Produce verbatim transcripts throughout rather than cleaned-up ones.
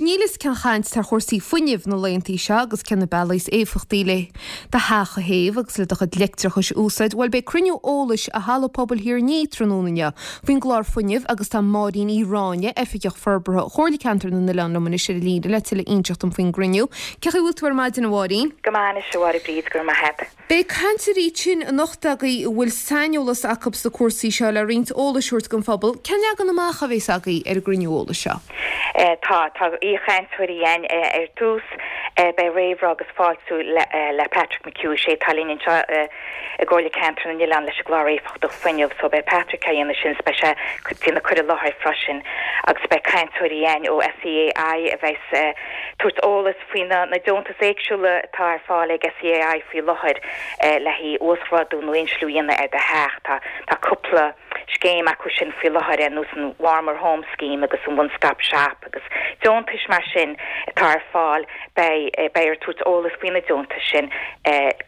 níl fhios cén chaint ar chúrsaí fuinnimh na laethanta seo agus cé na bealaí is éifeachtaí le do theach a théamh agus le do chuid leictreachais a úsáid. Bhuel beidh cruinniú eolais i Halla Pobail Thír an Fhia tráthnóna inniu faoin gclár fuinnimh agus tá Máirín Uí Ráinne, Oifigeach Forbartha Chomhairle Ceantar na nOileán liom anois ar an líne le tuilleadh a inseacht dom faoin gcruinniú. Cén chaoi a bhfuil tú ar maidin a Mháirín? Go maith anois a Mháire Bríd go raibh maith agat. Beidh cainteoirí ansin anocht agaibh a bhfuil saineolas acu sna cúrsaí seo le roinnt eolais a thabhairt don phobal, cén leagan amach a bheas agaibh ar an gcruinniú eolais seo? Tá tá aoichainteoirí againn ar dtús beidh réamhrá agus fáiltiú le le Patrick McHugh sé atá linn anseo i gComhairle Ceantar na nOileán leis an gclár éifeachtach fuinnimh, so beidh Patrick á dhéanamh sin beidh sé déanamh cur i láthair freisin agus beidh cainteoirí againn ó SEAI a bheas tabhairt eolas faoi na na deontais éagsúla atá ar fáil ag SEAI faoi láthair le haghaidh uasghrádú nó insliú a dhéanamh ar do theach tá tá cúpla scéim acu sin faoi láthair ar nós an Warmer Home Scheme agus an One Stop Shop agus deontais mar sin atá ar fáil beidh beidh ar tabhairt eolas faoi na deontais sin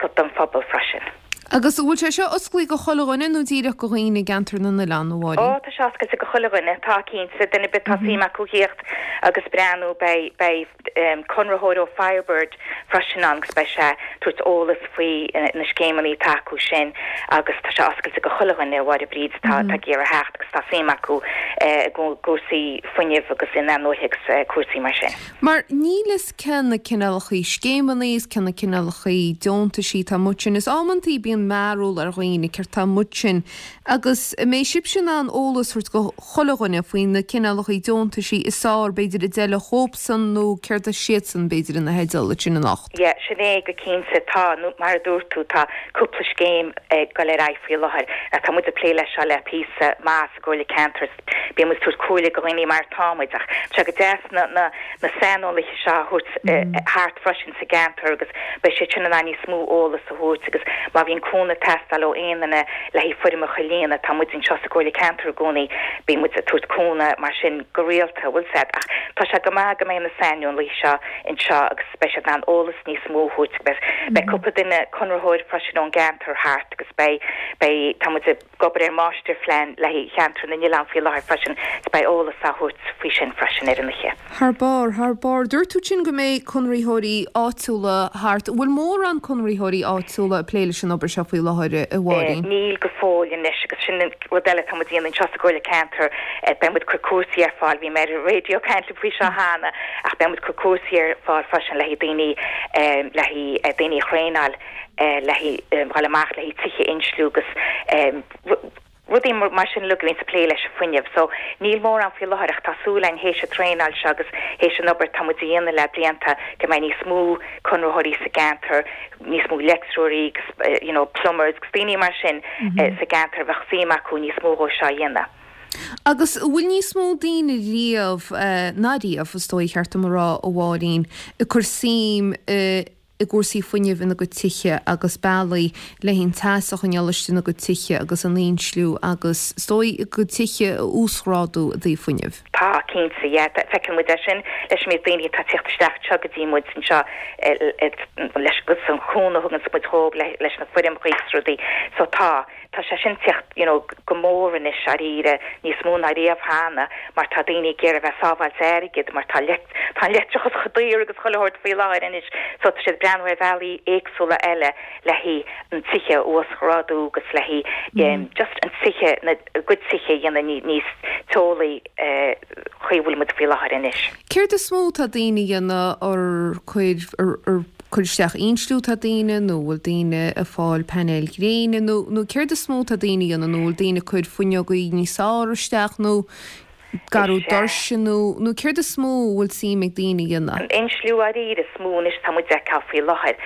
go don phobal freisin. Agus bhfuil sé seo oscailte go chuile dhuine nó díreach go dhaoine i gceantar na nOileán a Mháirín? Ó tá sé oscailte go chuile dhuine tá cinnte duine ar bith tá suim acu theacht agus breathnú beidh beidh conraitheoir ó Firebird freisin ann agus beidh sé tabhairt eolas faoi na scéimeanna atá acu sin agus tá sé oscailte go chuile dhuine a Mháire Bríd tá tá ag iarraidh theacht agus tá suim acu i gcúrsaí fuinnimh agus in-athnuaite agus cúrsaí mar sin. Mar níl fhios cé na cineálacha scéimeanna is cé na cineálacha deontaisí atá amuigh ansin is amantaí bíonn mearbhall ar dhaoine céard atá amuigh ansin agus mbeidh sibhse in ann eolas a thabhairt go chuile dhuine faoi na cineálacha deontaisí is fearr b'fhéidir a d'fheilfeadh dhóibhsan nó céard a siadsan b'fhéidir ina theideal sin anocht. Yeah, sin é go cinnte tá nó mar a dúirt tú tá cúpla scéim ag dul ar aghaidh faoi láthair. Tá muid ag plé leis seo le píosa maith sa gComhairle Ceantar bíonn muid tabhairt comhairle go dhaoine mar tá muid ach tá go deas na na na saineolaithe seo a thabhairt thart freisin sa gceantar agus beidh sé sin in ann níos mó eolas a thabhairt agus má bhíonn cúnamh ag teastáil ó aon duine le haghaidh foirmeacha a líonadh tá muid anseo sa gComhairle Ceantar i gcónaí bíonn muid ag tabhairt cúnamh mar sin go rialta bhfuil a fhios agat ach tá sé go maith go mbeidh na saineolaithe seo anseo agus beidh siad in ann eolas níos mó a thabhairt beidh beidh cúpla duine conraitheoir freisin ón gceantar thart agus beidh beidh tá muid ag obair ar máistirphlean le haghaidh cheantar na nOileán faoi láthair freisin beidh eolas á thabhairt faoi sin freisin ar an oíche. Thar barr thar barr dúirt tú sin go mbeidh conraitheoirí áitiúla thart, bhfuil mórán conraitheoirí áitiúla ag plé leis an obair seo faoi láthair a Mháirín. Níl go fóill anois agus sin rud eile tá muid ag déanamh anseo sa gComhairle Ceantar beidh muid cur cúrsaí ar fáil bhí mé ar raidió caint faoi seo cheana ach beidh muid cur cúrsaí ar fáil freisin le haghaidh daoine le haghaidh daoine a thraenáil le haghaidh dul amach le haghaidh tithe a insliú agus rudaí mar sin le go bhíonn sa plé leis an fuinneamh. So níl mórán faoi láthair ach tá súil againn théis an traenáil seo agus théis an obair tá muid a dhéanamh le blianta go mbeidh níos mó conraitheoirí sa gceantar, níos mó leictreoirí agus you know, plumbers agus daoine mar sin sa gceantar bheadh suim acu níos mó dhó seo a dhéanamh. Agus bhfuil níos mó daoine riamh ná riamh is dóigh cheart dom a rá a Mháirín ag cur suim i gcúrsaí fuinnimh ina gcuid tithe agus bealaí le an teas a choinneáil istigh ina gcuid tithe agus an insliú agus is dóigh a gcuid tithe a uasghrádú i dtaobh fuinnimh. Tá cinnte yeah, feiceann muid é sin leis an méid daoine atá ag teacht isteach seo go dtí muid anseo leis agus an cúnamh a thugann muid dhóibh leis na foirmeacha agus rudaí. So tá tá sé sin teacht you know, go mór anois dáiríre níos mó ná riamh cheana mar tá daoine ag iarraidh bheith sábháilt airgid mar tá tá an leictreachas chomh daor agus chuile shórt faoi láthair anois so tá siad breathnú ar bhealaí éagsúla eile le haghaidh an tithe uasghrádú agus le haghaidh just an tithe na gcuid tithe a dhéanamh níos teolaí chaoi bhfuil muid faoi láthair anois. Céard is mó tá daoine a dhéanamh ar cuir ar cur isteach insliú tá daoine nó bhfuil daoine ag fáil painéil gréine nó nó céard is mó tá daoine a dhéanamh nó bhfuil daoine cur fuinneogaí níos fearr isteach nó garú doirse nó nó céard is mó bhfuil suim ag daoine a dhéanamh. An insliú dáiríre is mó anois tá muid ag feiceáil faoi láthair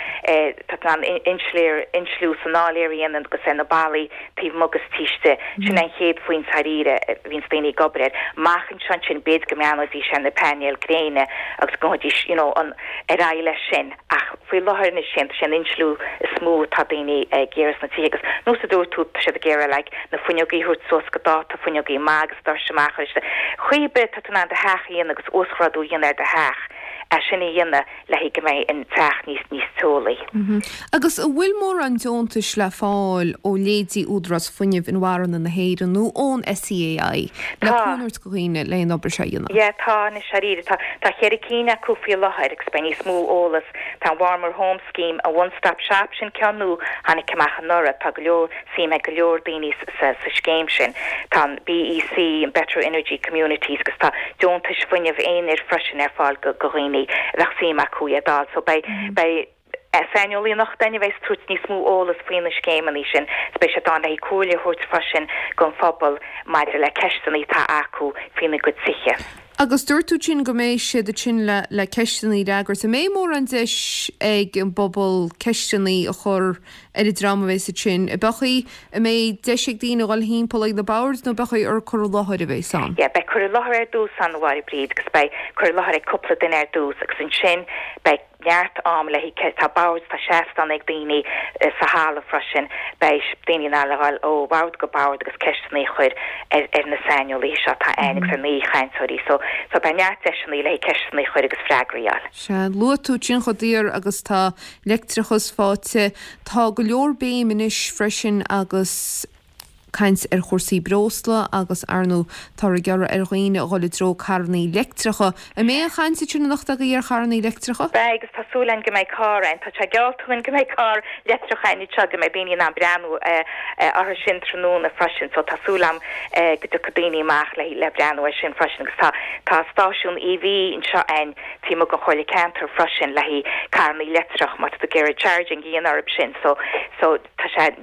tá an insléir insliú san áiléar a dhéanamh agus ar na ballaí taobh amuigh agus taobh istigh sin an chéad phointe dáiríre bhíonns daoine ag obair air. Amach anseo ansin b'fhéidir go mbreathnóidís ar na painéil gréine agus go ngabhfaidís you know, an ar aghaidh leis sin ach faoi láthair anois sin sé an insliú is mó tá daoine ag iarraidh sna tithe agus nós a dúirt tú tá siad ag iarraidh like, na fuinneogaí a thabhairt suas go dáta fuinneogaí maith agus doirse amach arís. Chaoi bith tá tú in ann do theach a dhéanamh agus uasghrádú a dhéanamh ar do theach. é sin a dhéanamh le haghaidh go mbeidh an teach níos níos teolaí. Agus an bhfuil mórán deontais le fáil ó leithéidí Údarás Fuinnimh Inmharthana na hÉireann nó ón SEAI le Tá. cúnamh a thabhairt do dhaoine le an obair seo a dhéanamh? Yeah, tá anois dáiríre tá tá ceithre cinn acu faoi láthair agus beidh níos mó eolas tá an Warmer Home Scheme a one stop shop sin ceann nua tháinig amach anuraidh tá go leor suim ag go leor daoine sa, sa scéim sin. Tá an BEC an Better Energy Communities agus tá deontais fuinnimh aonair freisin ar fáil go go dhaoine a bheadh suim acu iad d'fháil so beidh beidh saineolaí anocht againn a bheidh ag tabhairt níos mó eolas faoi na scéimeanna sin beidh sé ann le comhairle a thabhairt freisin don phobal maidir le ceisteanna atá acu faoina gcuid tithe. Agus dúirt tú sin go mbeidh siad ansin le le ceisteanna a fhreagairt, an mbeidh mórán deis ag an bpobal ceisteanna a chur ar an dream a bheas ansin. An mbeidh an mbeidh deis ag daoine dul timpeall ag na boird nó beidh ar cur i láthair a bheas ann. Yeah, beidh cur i láthair ar dtús ann a Mháire Bríd agus beidh cur i láthair ag cúpla duine ar dtús agus ansin beidh neart am le tá boird tá seastán ag daoine eh, sa halla freisin beidh daoine in ann a ghabháil ó bhord go bord agus ceisteanna a chur ar, ar na saineolaithe seo atá ann agus ar na cainteoirí so so beidh neart deiseanna le ceisteanna a chur agus freagraí a fháil. Sea luaigh tú sin chomh daor agus tá leictreachas faighte tá go leor béim anois freisin agus caint ar chúrsaí breosla agus ar ndóigh tá ag iarraidh ar dhaoine a dhul i dtreo carranna leictreacha. An mbeidh an chaint sin anocht agaibh ar charranna leictreacha? Beidh agus tá súil againn go mbeidh carr ann tá sé geallta go mbeidh carr leictreach ann seo go mbeidh daoine in breathnú orthu sin tráthnóna freisin, so tá súil agam go dtiocfaidh daoine amach le le breathnú air sin freisin agus tá tá stáisiún EV anseo ann tí go choile ceantar freisin le haghaidh carranna leictreach má tá tú charging in orthu sin so so tá sé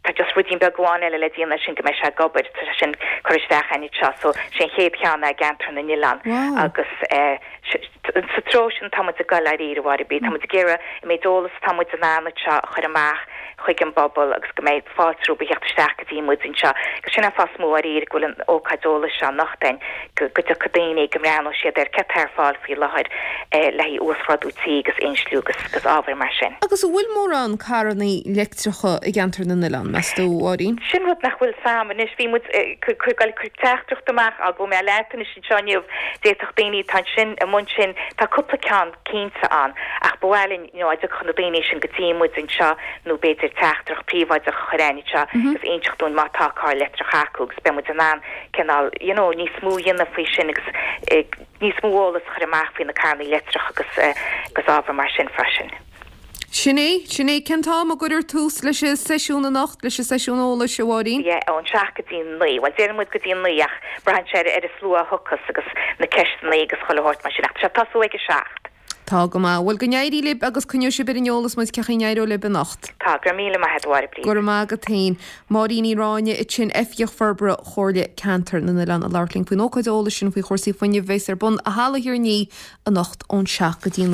Tá just ruidín beag amháin eile le déanamh sin go mbeidh sé ag obair tá sin curtha isteach ann seo so sin chéad cheann i gceantar na nOileán Wow. agus eh, sa treo sin tá muid ag dul ar bharr bí tá muid ag iarraidh an méid eolas tá muid in ann seo a chur amach chuig an bpobal agus go mbeidh fáilte rompu theacht isteach go dtí muid anseo agus sin an fáth mór go bhfuil an ócáid eolais seo anocht ann go go dtiocfaidh daoine go mbreathnóidh siad ar cad atá ar fáil faoi láthair eh, le uasghrádú tí agus insliú agus agus ábhar mar sin. Agus an bhfuil mórán carranna leictreacha i gceantar na nOileán meas tú Máirín? Sin rud nach bhfuil sam anois bhí muid chuil chu teachtracht amach a go mé letain sin seo d'fhéadfadh daoine tá sin i mbun sin tá cúpla ceann cinnte ann ach bhhailin chun na daoine sin go dtí muid anseo nó b'fhéidir teachtaireacht phríobháideach a chur ann seo agus inseacht dúinn má tá carr leictreach acu agus beidh muid in ann cineál you know, níos mó a dhéanamh faoi sin agus eh, níos mó eolas a chur amach faoi na carranna leictreach agus eh, agus ábhar mar sin freisin. Sin é sin é cén t-am a gcuirtear tús leis an seisiún anocht leis an seisiún eolais a Mháirín? Yeah, ón seacht go dtí naoi, Well déanfaidh muid go dtí naoi ach braitheann sé ar an slua a thiocfas agus na ceisteanna agus chuile shórt mar sin ach sé tosú ag a seacht. Tá go maith bhfuil go n-éirí libh agus coinneoidh sibh ar an eolas muid cén chaoi a n-éireoidh libh anocht. Tá gur míle maith a Bhríd. Go raibh maith agat féin Máirín Ní Ráinne ansin Oifigeach Forbartha Chomhairle Ceantar na nOileán ag labhairt linn faoin ócáid eolais sin faoi chúrsaí fuinnimh a bheas ar bun i Halla Thír an Fhia anocht ón seacht go dtí naoi.